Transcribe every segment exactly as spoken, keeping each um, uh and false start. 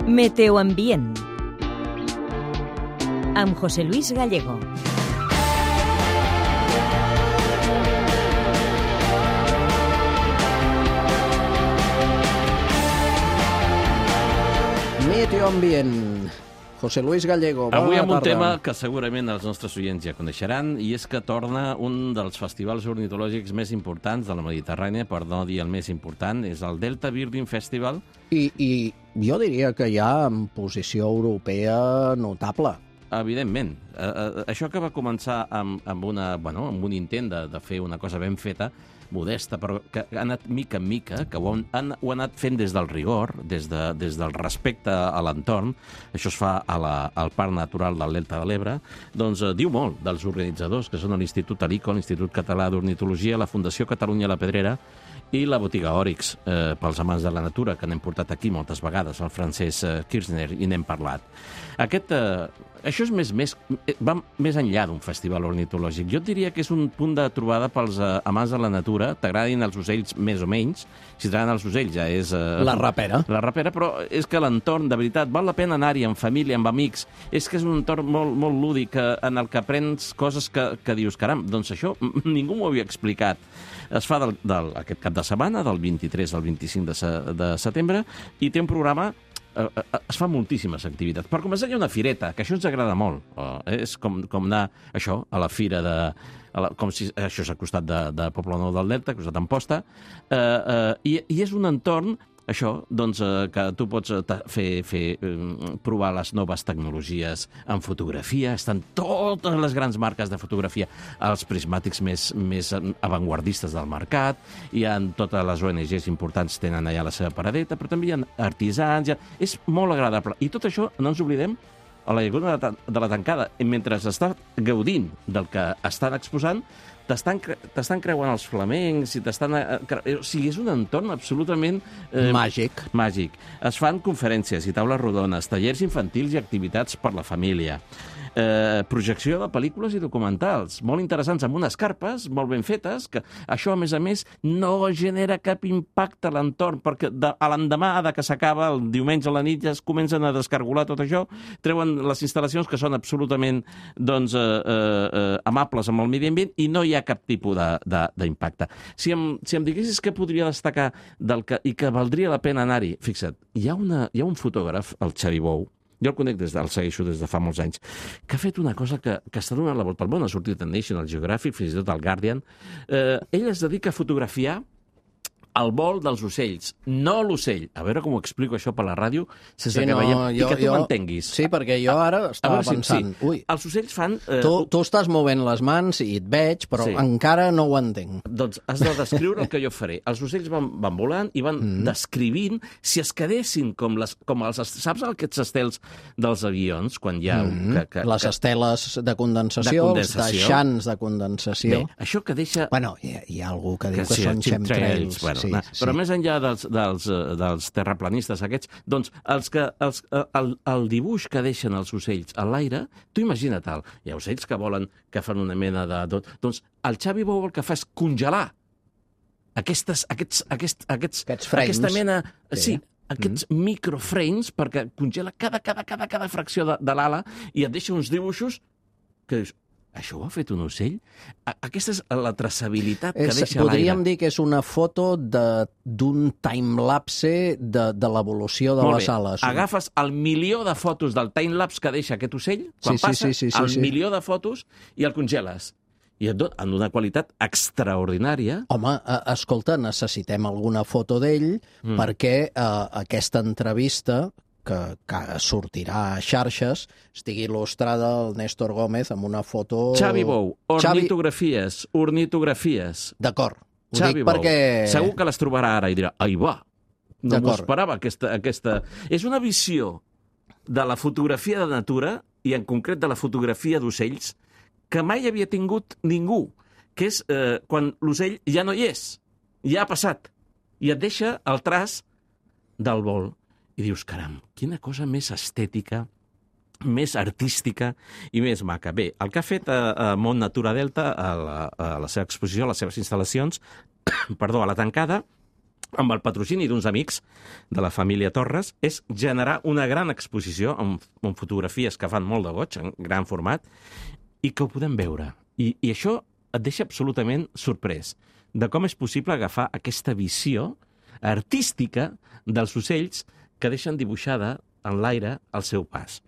Meteoambient amb José Luis Gallego. Meteoambient. José Luis Gallego, bona Avui amb un tarda. tema que segurament els nostres oients ja coneixeran, i és que torna un dels festivals ornitològics més importants de la Mediterrània, per no dir el més important, és el Delta Birding Festival. I, I jo diria que hi ha en posició europea notable. Evidentment. Eh, eh, això que va començar amb, amb, una, bueno, amb un intent de, de fer una cosa ben feta, modesta, però que ha anat mica en mica, que ho han, ho ha anat fent des del rigor, des, de, des del respecte a l'entorn. Això es fa a la, al Parc Natural del Delta de l'Ebre. Doncs eh, diu molt dels organitzadors, que són l'Institut Alico, l'Institut Català d'Ornitologia, la Fundació Catalunya La Pedrera i la Botiga Òrix, eh, pels amants de la natura, que n'hem portat aquí moltes vegades, el Francesc eh, Kirchner, i n'hem parlat. Aquest, eh, això és més, més, va més enllà d'un festival ornitològic. Jo et diria que és un punt de trobada pels eh, amants de la natura, t'agradin els ocells més o menys. Si t'agraden els ocells ja és... Eh, La rapera. La rapera, però és que l'entorn, de veritat, val la pena anar-hi amb família, amb amics. És que és un entorn molt, molt lúdic, en el que aprens coses que, que dius, caram, doncs això ningú m'ho havia explicat. Es fa del, del, aquest cap de setmana, del vint-i-tres al vint-i-cinc de, se, de setembre, i té un programa... Eh, es fan moltíssimes activitats. Per començar, hi ha una fireta, que això ens agrada molt. Eh, és com, com anar, això, a la fira de... A la, com si això és al costat de, de Poblenou del Delta, al costat d'Amposta, eh, eh, i, i és un entorn, això, doncs, eh, que tu pots eh, fer, fer eh, provar les noves tecnologies en fotografia. Estan totes les grans marques de fotografia, els prismàtics més, més avantguardistes del mercat, hi ha totes les O N Ges importants tenen allà la seva paradeta, però també hi ha artisans, hi ha... és molt agradable. I tot això, no ens oblidem, a la Llaguna de la Tancada, mentre s'està gaudint del que estan exposant, t'estan cre creuant els flamencs, i t'estan... O sigui, és un entorn absolutament... Eh, màgic. Màgic. Es fan conferències i taules rodones, tallers infantils i activitats per la família. Eh, projecció de pel·lícules i documentals, molt interessants, amb unes carpes molt ben fetes, que això, a més a més, no genera cap impacte a l'entorn, perquè de, a l'endemà de que s'acaba, el diumenge a la nit, ja es comencen a descargolar tot això, treuen les instal·lacions que són absolutament doncs, eh, eh, amables amb el medi ambient i no hi ha cap tipus d'impacte. Si, em, si em diguessis què podria destacar del que, i que valdria la pena anar-hi, fixa't, hi ha, una, hi ha un fotògraf, el Xavi Bou, jo el conec des del segueixo des de fa molts anys, que ha fet una cosa que, que està donant la volta al món, ha sortit a National Geographic, fins i tot al Guardian. Eh, ell es dedica a fotografiar el vol dels ocells, no l'ocell. A veure com ho explico això per la ràdio, sense sí, que no, veiem, jo, i que tu jo, m'entenguis. Sí, perquè jo ara estava si, pensant... Sí. Ui, els ocells fan... Eh, tu, tu estàs movent les mans i et veig, però sí. encara no ho entenc. Doncs has de descriure el que jo faré. Els ocells van, van volant i van mm. descrivint si es quedessin com, les, com els... Saps aquests estels dels avions, quan hi ha... Mm. Que, que, les que, esteles de condensació, de condensació. els deixants de condensació. Bé, això que deixa... Bueno, hi ha, hi ha algú que diu que, que sí, són chemtrails. Bueno, sí, no, sí. Però més enllà dels, dels, dels terraplanistes aquests, doncs els que, els, el, el dibuix que deixen els ocells a l'aire, tu imagina't el, hi ha ocells que volen, que fan una mena de... Doncs el Xavi Bou el que fa és congelar aquestes, aquests, aquests, aquests, aquests frames. Aquesta mena... Sí. sí aquests mm. microframes, perquè congela cada, cada, cada, cada fracció de, de l'ala i et deixa uns dibuixos que dius, això ho ha fet un ocell? Aquesta és la traçabilitat que és, deixa a l'aire. Podríem dir que és una foto d'un timelapse de, de l'evolució de Molt les bé. ales. Agafes el milió de fotos del timelapse que deixa aquest ocell, quan sí, passa, sí, sí, sí, el sí. milió de fotos, i el congeles. I et dona en una qualitat extraordinària. Home, escolta, necessitem alguna foto d'ell mm. perquè eh, aquesta entrevista que, que sortirà a xarxes estigui il·lustrada el Néstor Gómez amb una foto... Xavi Bou, ornitografies, Xavi... ornitografies. D'acord, ho Xavi dic Bou. perquè... Segur que les trobarà ara i dirà, ai va, no m'ho esperava aquesta, aquesta... És una visió de la fotografia de natura, i en concret de la fotografia d'ocells, que mai havia tingut ningú, que és eh, quan l'ocell ja no hi és, ja ha passat, i et deixa el traç del vol. I dius, caram, quina cosa més estètica, més artística i més maca. Bé, el que ha fet a, a Mont Natura Delta, a la, a la seva exposició, a les seves instal·lacions, perdó, a la tancada, amb el patrocini d'uns amics de la família Torres, és generar una gran exposició amb, amb fotografies que fan molt de goig, en gran format, i que ho podem veure. I, I això et deixa absolutament sorprès de com és possible agafar aquesta visió artística dels ocells que deixen dibuixada en l'aire el seu pas.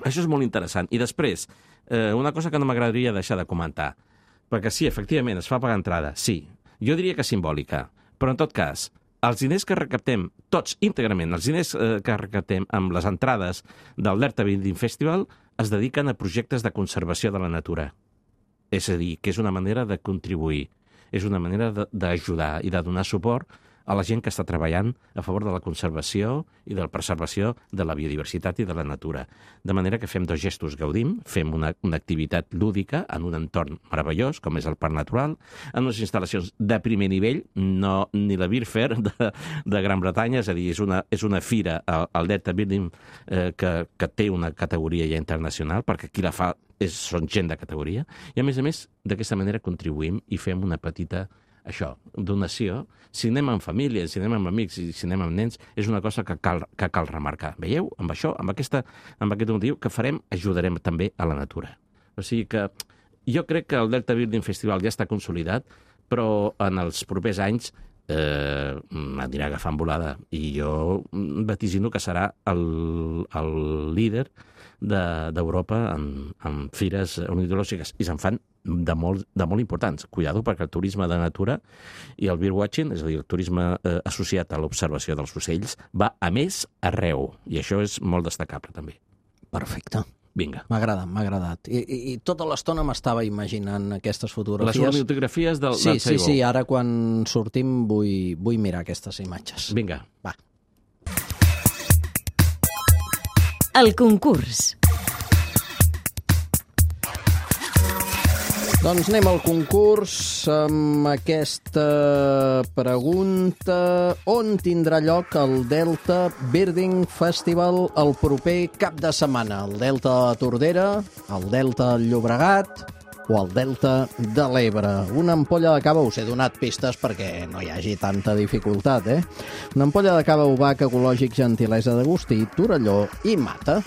Això és molt interessant. I després, eh, una cosa que no m'agradaria deixar de comentar, perquè sí, efectivament, es fa pagar entrada, sí. Jo diria que simbòlica, però en tot cas, els diners que recaptem, tots íntegrament, els diners eh, que recaptem amb les entrades del Delta Building Festival es dediquen a projectes de conservació de la natura. És a dir, que és una manera de contribuir, és una manera d'ajudar i de donar suport a la gent que està treballant a favor de la conservació i de la preservació de la biodiversitat i de la natura. De manera que fem dos gestos, gaudim, fem una, una activitat lúdica en un entorn meravellós, com és el Parc Natural, en unes instal·lacions de primer nivell, no ni la Beer Fair de, de Gran Bretanya, és a dir, és una, és una fira al Delta Building eh, que, que té una categoria ja internacional, perquè qui la fa és, són gent de categoria, i a més a més, d'aquesta manera contribuïm i fem una petita això, donació. Si anem amb família, si anem amb amics i si anem amb nens, és una cosa que cal, que cal remarcar. Veieu? Amb això, amb, aquesta, amb aquest motiu que farem, ajudarem també a la natura. O sigui que jo crec que el Delta Building Festival ja està consolidat, però en els propers anys eh, m'anirà agafant volada. I jo vaticino que serà el, el líder d'Europa de, en, en fires ornitològiques. I se'n fan de molt, de molt importants. Cuidado, perquè el turisme de natura i el birdwatching, és a dir, el turisme eh, associat a l'observació dels ocells, va a més arreu. I això és molt destacable, també. Perfecte. Vinga. M'ha agradat, m'ha agradat. I, i, i tota l'estona m'estava imaginant aquestes fotografies. Les ornitografies del, sí, del Sí, sí, ara quan sortim vull, vull mirar aquestes imatges. Vinga. Va. El concurs. Doncs anem al concurs amb aquesta pregunta. On tindrà lloc el Delta Birding Festival el proper cap de setmana? El Delta de la Tordera, el Delta del Llobregat o el Delta de l'Ebre? Una ampolla de cava, us he donat pistes perquè no hi hagi tanta dificultat, eh? Una ampolla de cava Obac, ecològic, gentilesa d'Agustí, Torelló i Mata.